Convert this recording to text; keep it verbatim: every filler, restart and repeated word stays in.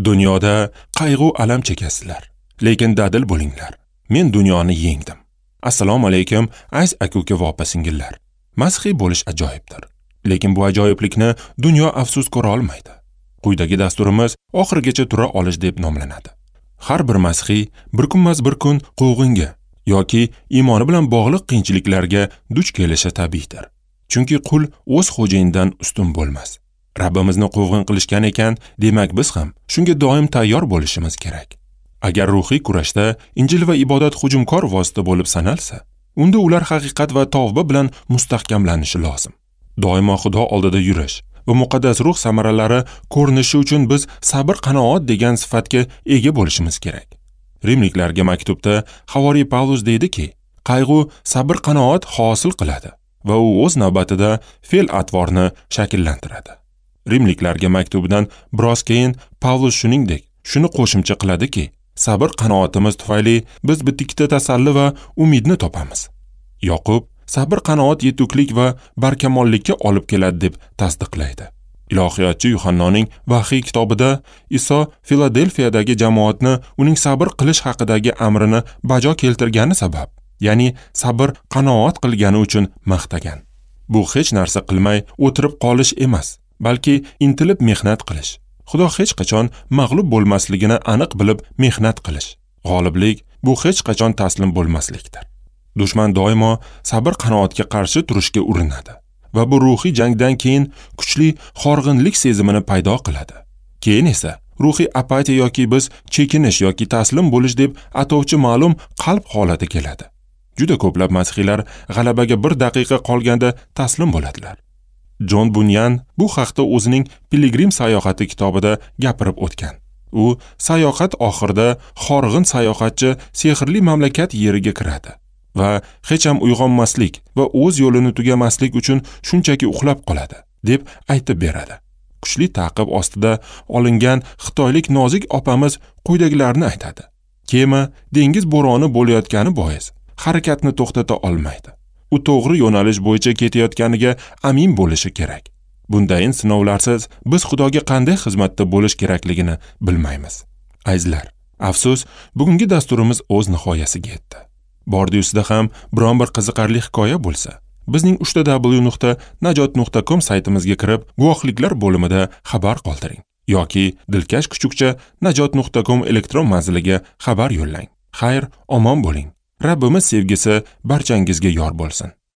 Dunyoda qayg'u alam chekasizlar, lekin dadil bo'linglar. Men dunyoni yengdim. Assalomu alaykum, aziz aka-uka va opa-singillar. Masihiy bo'lish ajoyibdir. Lekin bu ajoyiblikni dunyo afsus ko'ra olmaydi. Quyidagi dasturimiz oxirigacha tura olish deb nomlanadi. Har bir masihiy bir kunmas bir kun quvg'inga yoki iymoni bilan bog'liq qiyinchiliklarga duch kelishi tabiiydir. Chunki qul o'z xo'jayinidan ustun bo'lmas. Rabbimizni quvg'in qilishgan ekan, demak biz ham shunga doim tayyor bo'lishimiz kerak. Agar ruhiy kurashda Injil va ibodat hujumkor vosita bo'lib sanalsa, unda ular haqiqat va tavba bilan mustahkamlanishi lozim. Doimo Xudo oldida yurish va muqaddas ruh samaralari ko'rinishi uchun biz sabr qanoat degan sifatga ega bo'lishimiz kerak. Rimliklarga maktubda Havoriy Pavlus deydiki, qayg'u sabr qanoat hosil qiladi va u o'z navbatida fe'l atvorni shakllantiradi. Rimliklarga maktubidan biroz keyin Pavlus shuningdek shuni qo'shimcha qiladiki, sabr qanoatimiz tufayli biz bitta tasalli va umidni topamiz. Yoqub sabr qanoat yetuklik va barkamollikka olib keladi deb tasdiqlaydi. Ilohiyotchi Yuhannoning Vahiy kitobida Iso Filadelfiyadagi jamoatni uning sabr qilish haqidagi amrini bajo keltirgani sabab, ya'ni sabr qanoat qilgani uchun maqtagan. Bu hech narsa qilmay o'tirib qolish emas, balki intilib mehnat qilish. Xudo hech qachon mag'lub bo'lmasligini aniq bilib mehnat qilish. G'oliblik bu hech qachon taslim bo'lmaslikdir. Dushman doimo sabr qanoatga qarshi turishga urinadi va bu ruhiy jangdan keyin kuchli horg'inlik sezimini paydo qiladi. Keyin esa ruhiy apatiya yoki biz chekinish yoki taslim bo'lish deb atovchi ma'lum qalb holati keladi. Juda ko'plab masihiylar g'alabaga bir daqiqa qolganda taslim bo'ladilar. Jon Bunyan bu haqda o'zining Piligrim sayohati kitobida gapirib o'tgan. U sayohat oxirida horg'in sayohatchi sehrli mamlakat yeriga kiradi va hech ham uyg'onmaslik va o'z yo'lini tugamaslik uchun shunchaki uxlab qoladi deb aytib beradi. Kuchli ta'qib ostida olingan xitoylik nozik opamiz quyidagilarni aytadi. Kema dengiz bo'roni bo'layotgani bois harakatni to'xtata olmaydi. U to'g'ri yo'nalish bo'yicha ketayotganiga amin bo'lishi kerak. Bundayin sinovlarsiz biz Xudoga qanday xizmatda bo'lish kerakligini bilmaymiz. Azizlar, afsus, bugungi dasturimiz o'z nihoyasiga yetdi. Bordi-yusida ham biron bir qiziqarli hikoya bo'lsa, bizning uch ta w nuqta najot nuqta com saytimizga kirib, guvohliklar bo'limida xabar qoldiring yoki dilkash kuchukcha najot nuqta com elektron manziliga xabar yo'llang. Xayr, omon bo'ling. Rabbimiz sevgisi barchangizga yor bo'lsin.